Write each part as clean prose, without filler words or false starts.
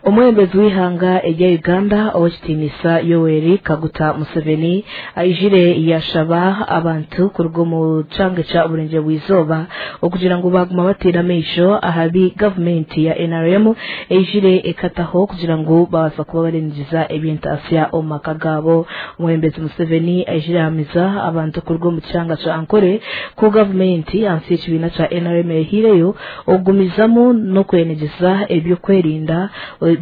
Omwebembezi w'eihanga erya Uganda ow'ekitiinisa Yoweri Kaguta Museveni aijire yashaba abantu kuruga omu kyanga kya Oburengyerwa bw'eizooba okugira ngu baguma bateire amaisho aha bi gavumenti ya NRM eijire ekataho kugira ngu babaasa kuba barengyeza eby'entaasya omu maka gaabo. Omwebembezi Museveni aijire ahamiza abantu kuruga omu kyanga kya Ankole ku gavumenti ahansi y'ekibiina kya NRM ehaireyo okugumizamu n'okwenegyeza eby'okwerinda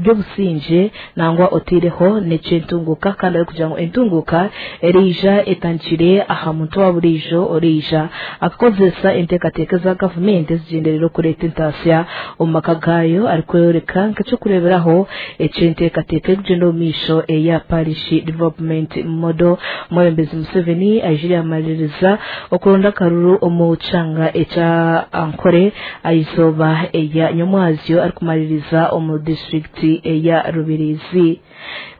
by'obusingye nangwa otaireho n'eky'entunguuka kandi arikugira ngu entunguuka eriija etandikire aha muntu wa buriijo oriija akakozesa enteekateeka eza gavumenti ezigyendereire okureeta entaasya omu maka gaayo arikworeka nk'eky'okureeberaho eky'enteekateeka erikugyenda omu maisho eya Parish Development Model. Omwebembezi Museveni aijire yaamaririza okuronda akaruru omu kyanga ekya Ankole aha izooba erya nyomwazyo arikumaririza omu disiturikiti eya Rubirizi.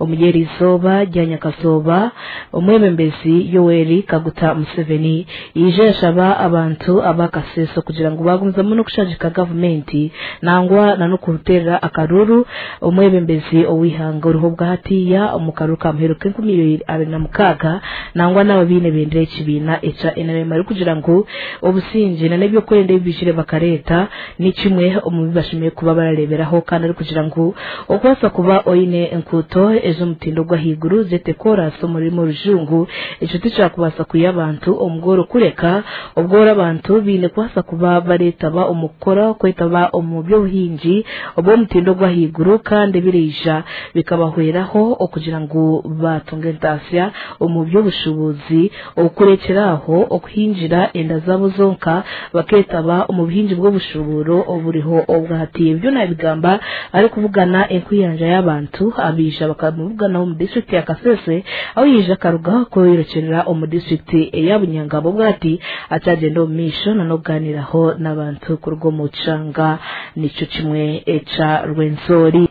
Omuri eri izooba rya nyakazooba, omwebembezi Yoweri Kaguta Museveni yaija yashaba abantu aba Kasese kugira ngu bagumizamu n'okushagika gavumenti nangwa na n'okuteerera akaruuru omwebembezi ow'eihanga oriho obwahatiiya omu karuuru ka muheru k'enkumi ibiri abiri na mukaaga nangwa n'abo abaine ebendera y'ekibiina ekya NRM arikugira ngu obusingye na n'ebyokwerinda ebi baijire bakareeta ni kimwe omu bi bashemereire kuba barareeberaho kandi arikugira ngu okubaasa kuba oine enkuuto ez'omutindo gw'ahaiguru zeete koraasi omu rurimi orujungu ekyo tikyakubaasa kwiha abantu omu bworo kureka obworo abantu baine kubaasa kuba bareetaba omu kukora okwetaba omu by'obuhingi obw'omutindo gw'ahaiguru kandi biriija bikabahweraho okugira ngu baatunga entaasya omu by'obushuubuzi okurekyera aho okuhingira enda zaabo zonka bakeetaba omu buhingi bw'obushuuburo oburiho obwahati. Ebyo naabigamba arikubugana enkuyanja y'abantu abaija bakamubuganaho omu disiturikiti ya Kasese ahu yaija akaruga kweyorekyerera omu disiturikiti eya Bunyangabo obwahati akyagyenda omu maisho n'okugaaniiraho n'abantu kuruga omu kyanga nikyo kimwe ekya Rwenzori.